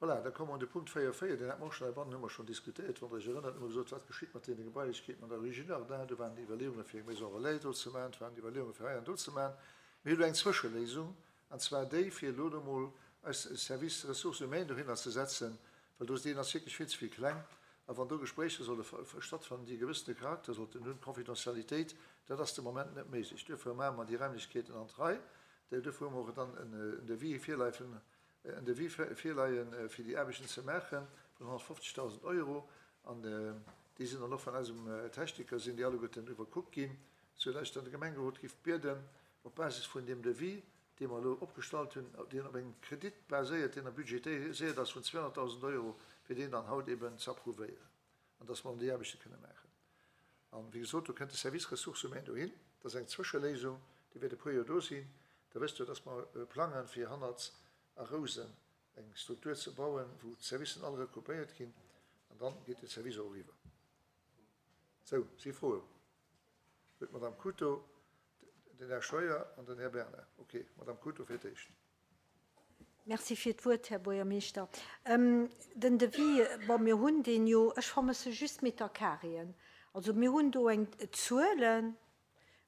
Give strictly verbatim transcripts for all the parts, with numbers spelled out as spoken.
Voilà, da komme mer un de Punkt véier véier, deen hat mer och schonn heibannen, hu mer schonn diskutéiert, wann Der Iech erënnert, hu mer gesot, wat geschitt mat deene Gebailechkeeten an der Rue Girardin. Do waren déi Iwwerleeunge fir eng Maison relais do ze maachen, et waren Iwwerleeunge fir hei an do ze maachen. Mir hu lo eng Zwëscheléisung, an zwar déi, fir elo do emol eis Service Ressources humaines dohinner ze setzen, well do, deen ass wierklech vill ze vill kleng. A wann do Gespréicher solle stattfannen, déi e gewëssene Charakter sollten hunn, Confidentialitéit, dat ass de Moment net méiglech. Duerfir maache mer déi Raimlechkeeten an d'Rei. Duerfir hu mer och dann en Devis virleifen, en Devis virleien, fir déi Aarbechten ze maachen, vun honnertfofzegdausend Euro. An déi sinn dann och vun eisem Techniker, sinn déi alleguerten iwwerkuckt ginn, soudass ech dann de Gemengerot géif bieden, op Basis vun deem Devis, dee mer elo opgestallt hunn, deen op engem Kredit baséiert, deen da budgetiséiert ass vun zweehonnertdausend Euro, fir deen dann haut eben ze approuvéieren an dass mer dann déi Aarbechte kënne maachen. An, wéi gesot, do kënnt de Service Ressources humaines dohin. Dat ass eng Zwëscheléisung, déi wäert e puer Joer do sinn. Da wësst Der, dass mer plangen, fir hannert a Rousen eng Struktur ze bauen, wou d'Servicen all regroupéiert ginn, an dann geet de Service och eriwwer. Sou, si Froen? Huet d'Madame Couto, den Här Scheuer an den Här Bernard. Okay, Madame Couto fir d'éischt. Merci fir d'Wuert, Här Buergermeeschter. Den Devis, bon, mir hunn deen jo, ech vermësse just d'Metercarréen. Also mir hunn do eng Zuelen,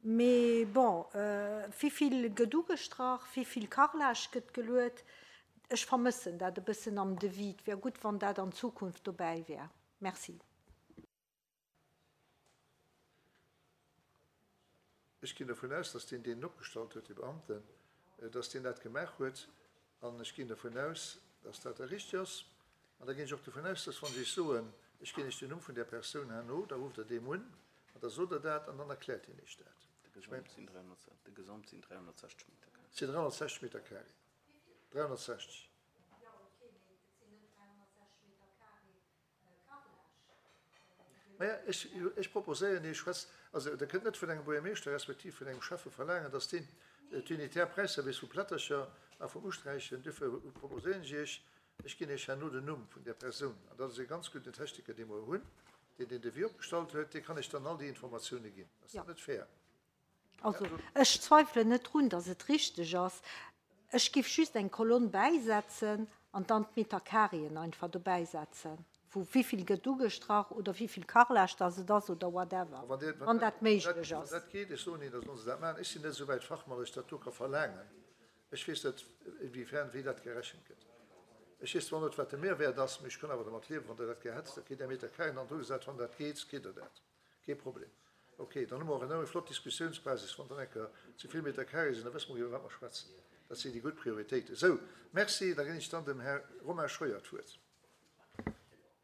mee bon, wivill gëtt ugestrach, wivill Carrelage gëtt geluet, ech vermëssen dat e bëssen am Devis. Et wär gutt, wann dat an Zukunft dobäi wär. Merci. Ech ginn dovun aus, dass deen, deen en opgestallt huet, dee Beamten, dass deen dat gemaach huet. An ech ginn dovun aus, dass dat da richtig ass. An da ginn ech och dovun aus, dass, wann ech Iech soen, ech ginn Iech den Numm vun där Persoun herno, da rufft Der deem un an da sot Der dat an dann erkläert hien Iech dat. De Gesamt sinn dräihonnertsechzeg, de Gesamt sinn dräihonnertsechzeg Meter carré. Et sinn dräihonnertsechzeg Meter carré. Dräihonnertsechzeg. Jo, okay, mee et sinn net dräihonnertsechzeg Meter carré Carrelage. Maja, ech, ech proposéieren Iech, schwätzt, also Der kënnt net vun engem Buergermeeschter respektiv vun engem Schäffe verlaangen, dass deen d'Unitaire Präisservice vu Plättercher a vum Usträichen, duerfir proposéieren ech Iech, ech ginn Iech herno den Numm vun där Persoun, an dat ass e ganz gudden Techniker, dee mer hunn, deen deen Devis opgestallt huet, dee kann Iech dann all déi Informatioune ginn. Ass dat net fair? Also, ech zweifelen net drun, dass et richteg ass. Ech giff just eng Kolonn bäisetzen an dann d'Metercarréen einfach dobäisetzen, vu wivill gëtt ugestrach oder wivill Carrelage dass et ass oder whatever, wann dat méiglech ass. Wann dat geet, ech soen Ihnen, da sollen se dat maachen. Ech sinn net esou wäit Fachmann, dass ech dat do ka verlaangen. Ech weess net, inwiefern, wéi dat gerechent gëtt. Ech weess zwar net, wat de Mehrwert ass, mee ech kann awer dermat liewen, wann Der dat gär hätt. Da kritt Der Metercarréen an drugesat. Wann dat geet, kritt Der dat. Kee Problem. Ok, dann hu mer och eng flott Diskussiounsbasis. Wann dann eng Kéier ze vill Meter carré sinn, da wësse mer, iwwer wat mer schwätzen. Dat sinn déi gutt Prioritéiten. Sou, merci. Da ginn ech dann dem Här Romain Scheuer d'Wuert.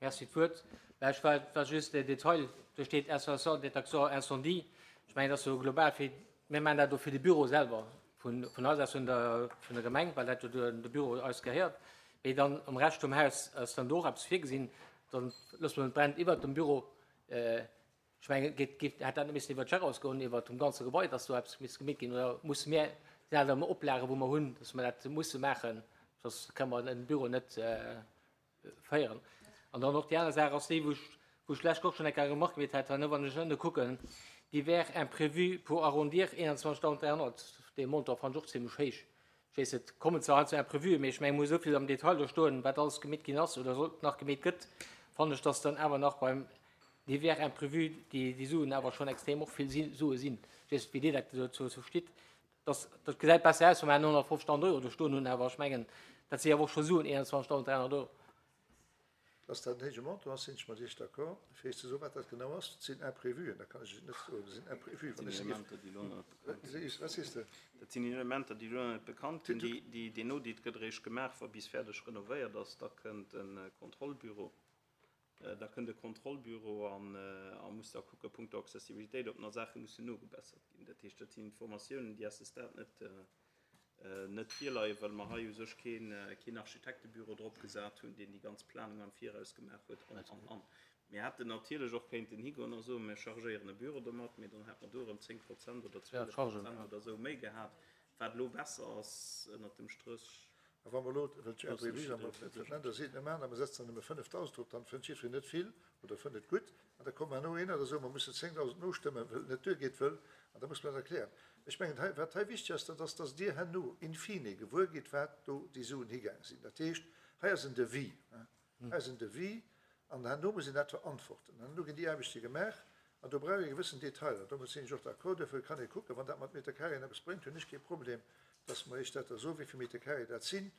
Merci d'Wuert. Mä ech war, war just den Detail, do steet Installation détection incendie. Ech mengen, dat ass jo global fir, mir maachen dat do fir de Büro selwer vun, vun eis aus, vun der, vun der Gemeng, well dat jo de, de Büro eis gehéiert. Mee dann am Rescht vum Haus ass dann do och eppes virgesinn. Dann loosse mer et brennt iwwert dem Büro. Ech mengen, geet, geet, hätt dat net missen iwwer d'Gérance goen, iwwer dem ganze Gebai, dass do eppes misst gemeet ginn, oder musse mir, sinn dat ëmmer Oplagen, wou mer hunn, dass mer dat musse maachen, soss kënne mer en Büro net féieren. An dann och déi aner Saach ass déi, wou ech, wou ech d'lescht och schonn eng Kéier Remarque gemeet hat, wann ech ënne kucken, divers imprévus pour arrondir einundzwanzigtausenddräihonnert, dee Montant fannen ech och zimlech héich. Ech weess net, kommen zwar heiansdo Imprévuen, mee ech mengen, et muss esou vill am Detail do stoen, wat alles gemeet ginn ass oder soll nach gemeet gëtt, fannen ech, dass dann awer nach beim divers imprévus déi, déi Suen awer schonn extrem och vill si, Sue sinn. Ech weess net, wéi Dir dat dozou stitt. Dass, dat gesäit besser aus, wa mer honnertfofzegtausend Euro do stoen hunn, awer ech mengen, dat si awer och scho Suen, einundzwanzigtausenddräihonnert Euro. Dass dat en héije Montant ass, sinn ech mat Iech d'accord. Fir Iech ze soen, wat dat genau ass, dat sinn Imprévuen, dat kann ech Iech net soen, dat sinn Imprévuen. Dat sinn Elementer, déi elo nach net bekannt sinn. Wat sees de? Dat sinn Elementer, déi elo nach net bekannt sinn. Déi, deen Audit gëtt eréischt gemaach, wa bis fäerdeg renovéiert ass. Da kënnt e Kontrollbüro, da kënnt e Kontrollbüro an a muss da kucke punkto Accessibilitéit, ob nach Saache mussen nogebessert ginn. Dat heescht, dat sinn Informatiounen, déi à ce stade net, net virleien, well mer hei u sech keen, keen Architektebüro drop gesat hunn, deen déi ganz Planung am Viraus gemaach huet an, an, an. Mir hätten natierlech och kéinten higoen a soen, mir chargéieren e Büro domat, mee dann hätt mer do erëm zéng Prozent oder zwielef Prozent oder esou méi gehat, wat elo besser ass ënnert dem Stréch. A wa mer elo, well d'Imprévus am Länder sinn, net maachen a mer setzen dann nëmme fënnefdausend drop, dann fënnt jiddwereen net vill oder fënnt et gutt. An da kommt herno een an da soe mer, mer mussen zéngdausend nostëmmen, well et net duergeet, wëll, an da muss mer dat erklären. Ech mengen, hei, wat hei wichteg ass, dat ass, dass Dir herno in fine gewuer gitt, wat do déi Suen higaang sinn. Dat heescht, Hei ass en Devis. Hei ass en Devis an herno muss een dat verantworten. An herno ginn déi Aarbechte gemaach an do brauch ee gewëssen Detailer. Domat sinn ech och d'accord. Duerfir kann ee kucken, wann dat mat Metercarréen eppes bréngt, hunn ech kee Problem, dass mer Iech dat da soen, wéi vill Metercarré dat sinn.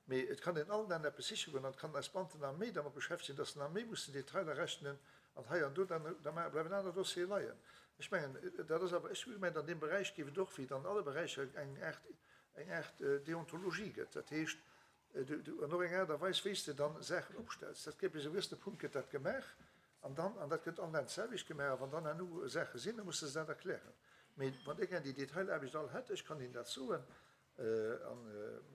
Mee et kann een allen Enn eppes siche goen an et kann eis Beamten nach méi dermat beschäftegen, dass se nach méi mussen Detailer rechnen an hei an do, dann da bleiwen aner Dossiere leien. Ech mengen, dat ass awer, ech hu gemengt, an deem Beräich géif et och, wéi et an alle Beräicher eng Aart, eng Aart Deontologie gëtt. Dat heescht, du, du, an och eng Aart a Weis, wéi s de dann Saachen opstells. Dat gëtt bis e gewëssene Punkt gëtt dat gemaach an dann, an dat gëtt allen Enn d'selwecht gemaach, a wann dann herno Saache sinn, da muss de se dat erklären. Mee wann Dir gär déi Detailaarbecht all hätt, ech kann Ihnen dat soen, an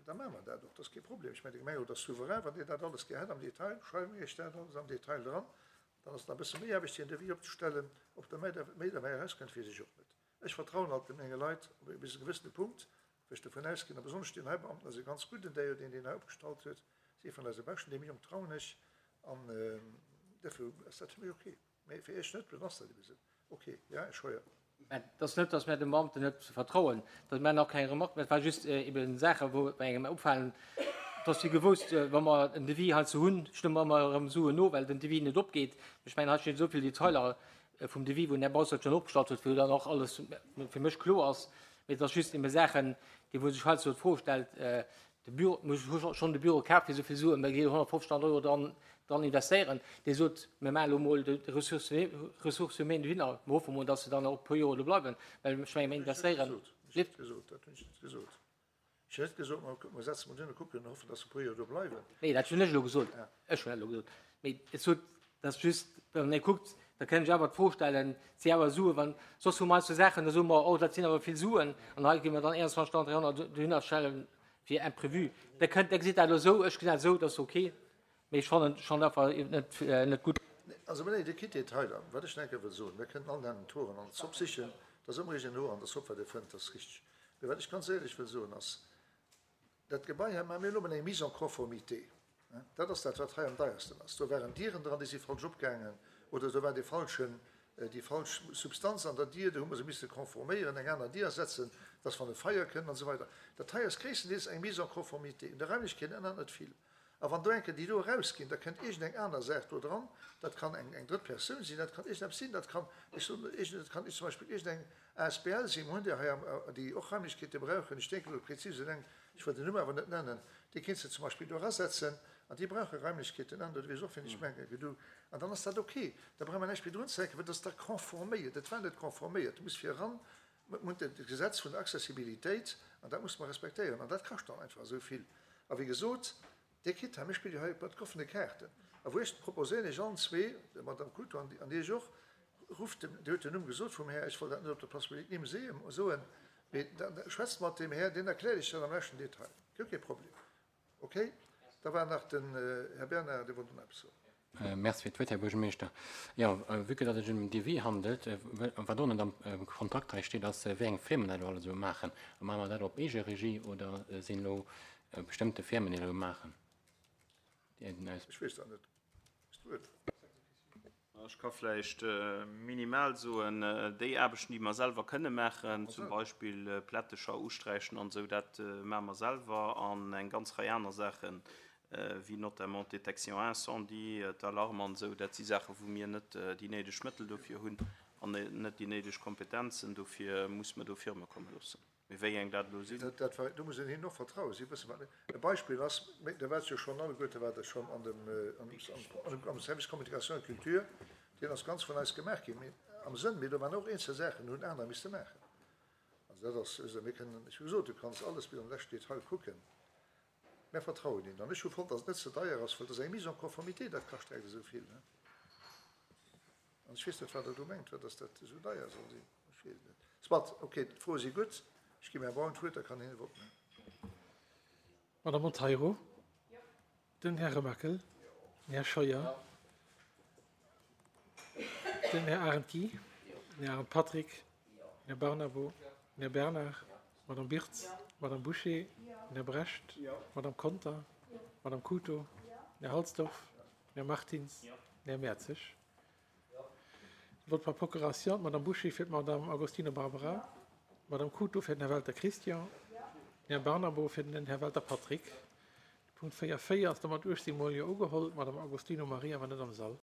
da maache mer dat och, dat ass kee Problem. Ech mengen, de Gemengerot ass souverän, wann Dir dat alles gär hätt am Detail, schreiwe mir Iech dat alles am Detail dran. Dann ass et nach e bësse méi Aarbecht, fir en Devis opzestellen. Ob da méi méi derbäi erauskënnt, weess ech och net. Ech vertrauen halt menge Leit op e bis e gewëssene Punkt, wou ech dovun ausginn, a besonnesch deen hei Beamten ass e ganz gudden, däi jo deen deen hei opgestallt huet, ass ee vun eise Beschten, deem Jong trauen ech an duerfir ass dat fir mech ok. Mee fir Iech net, dann ass dat ebe sou. Ok, ja, Här Scheuer. Mä et ass net, datt mir dem Beamten net vertrauen, dat maachen och keng Remarque, mä et war just eben Saache wou engem opfalen, et ass wéi gewousst, wa mer en Devis heizou hunn, stëmme mer ëmmer erëm Suen no, well den Devis net opgeet. Ech mengen, hei stinn esou vill Detailer vum Devis, wou den Här Baustert schonn opgestallt huet, wou dann och alles fir mech kloer ass. Mee et ass just ebe Saachen, déi wou sech heizou d'Fro stellt, de Büro, mir hu schonn de Büro kaf fir esou vill Suen, mir gi honnertfofzegtausend Euro dran, dran investéieren. Dir sot, mir maachen elo mol de Ressources, Ressources humaines dohinner, mir hoffe mol, dass se dann och e puer Joer do bleiwen, well ech menge mir investéieren. Dat hunn ech net gesot, dat hunn ech net gesot. Ech hunn net gesot, mer, mer setzen mol duerno, kucken an hoffen, dass se e puer Joer do bleiwen. Nee, dat hunn ech elo gesot. Ech hunn dat elo gesot. Mee ech sot, dass just, wann ee kuckt, da kënnt ech awer d'Fro stellen, si awer Suen, wann, soss hu mer eis sou Saachen, da soe mer, oh, dat sinn awer vill Suen, an hei gi mer dann einundzwanzigtausend dräihonnert dohinner stellen fir Imprévu. Da kënnt, da gesitt dat elo esou, ech gesinn dat esou, dat ass ok, mee ech fannen schonn einfach net, net gutt. Also, mä nee, Dir kritt Detailer. Wat ech nach eng Kéier wëll soen, mir kënnen all den Toren an d'Zopp sichen, dat ass ëmmer iergendeen Hoer an der Zopp, wat ee fënnt, dat ass richteg. Mee wat ech ganz éierlech wëll soen, ass, dat Gebai hei, maache mir elo emol eng Mise en conformité. Dat ass dat, wat hei am deiersten ass. Do waren Dieren dran, déi si falsch opgaangen, oder do war dee falschen, déi falsch Substanz an der Dier, do hu mer se misse konforméieren, eng aner Dier setzen, dass wann e Feier kënnt an esou weider. Dat hei ass gréisstendeels eng Mise en conformité. Un de Raimlechkeeten ännert net vill. A wann do eng Kéier déi do erausginn, da kënnt iergendeng aner Saach do dran, dat kann eng, eng drëtt Persoun sinn, dat kann iergendeppes sinn, dat kann, ech soen iergend, dat kann zum Beispill iergendeng asbl sinn, mir hunn déi hei am, déi och Raimlechkeete brauchen, ech denken elo prezis un eng, ech wëll den Numm awer net nennen, déi kéints de zum Beispill do erasetzen an déi brauche Raimlechkeeten an, dat weess och wien ech mengen, gedu, an dann ass dat ok, da brauch mer näischt méi drunzehänken, well dat ass da konforméiert, dat war net konforméiert, du muss fir eran, mir hunn dat Gesetz vun der Accessibilitéit an dat musse mer respektéieren an dat kascht dann einfach esou vill. A wéi gesot, Dir kritt hei, mir spille jo hei mat offene Kaarten. A wou ech proposéieren Iech allen zwee, der Madame Couto an an Iech och, rufft dem, Dir hutt den Numm gesot vum Här, ech wollt dat net op der Place publique Nimm soen, mee da schwätzt mat deem Här, deen erkläert Iech dat am leschten Detail. Guer kee Problem. Okay? Da war nach den Här Bernard, dee wollt och nach eppes soen. Merci fir d'Wuert, Här Buergermeeschter. Jo, vue que datt et sech ëm en Devis handelt, wat och net am Kontrakt hei steet, ass, wéi eng Firmen dat elo alles esou maachen. Maache mer dat op Eegeregie oder sinn elo bestëmmte Firmen, déi dat elo maachen? Déi den aus. Ech weess dat net. Hues du et? Ech ka vläicht minimal soen, déi Aarbechten, déi mer selwer kënne maachen, zum Beispill Plättecher usträichen an esou, dat maache mer selwer an eng ganz Rei aner Saachen, wéi notamment d'Détection incendie, d'Alarme an esou, dat si Saachen, wou mir net déi néideg Mëttel dofir hunn an net déi néideg Kompetenzen. Dofir muss mer do Firme komme loossen. Mee wéi eng dat elo sinn. Dat war, do muss een hinnen och vertrauen. Si wëssen, wat. E Beispill ass, da waart jo schonn alleguerte, waart Der schonn an dem, am Service Communication et Culture, deen ass ganz vun eis gemaach ginn, mee am Sënn, mee do waren och eenzel Saachen, déi hunn anerer misste maachen. Also dat ass, also mir kënnen, ech hu gesot, du kanns alles bis an de leschten Detail kucken. Mär vertrauen hinnen. An ech hu fonnt, datt et net ze deier ass, well dat ass eng Mise en conformité, dat kascht direkt esou vill. An ech weess net, wat Der do mengt, wat dass dat esou deier soll sinn. Ech weess et net. Soit, okay, d'Froe si gutt. Ech ginn dem Här Braun d'Wuert, da kann hien e Vott maachen. Madame Monteiro? Den Här Remakel? Den Här Scheuer? Den Här Arendt Guy? Den Här Arendt Patrick? Den Här Barnabo? Den Här Bernard? D'Madame Birtz? D'Madame Bouché? Den Här Brecht? D'Madame Conter? D'Madame Couto? Den Här Halsdorf? Den Här Martins? Den Här Mertzig? Vote par procuration, d'Madame Bouché fir d'Madame Agostino Barbara, d'Madame Couto fir den Här Welter Christian, den Här Barnabo fir den Här Welter Patrick. Punkt véier véier ass da mat uechtzéng mol Jo ugeholl. D'Madame Agostino Maria war net am Sall.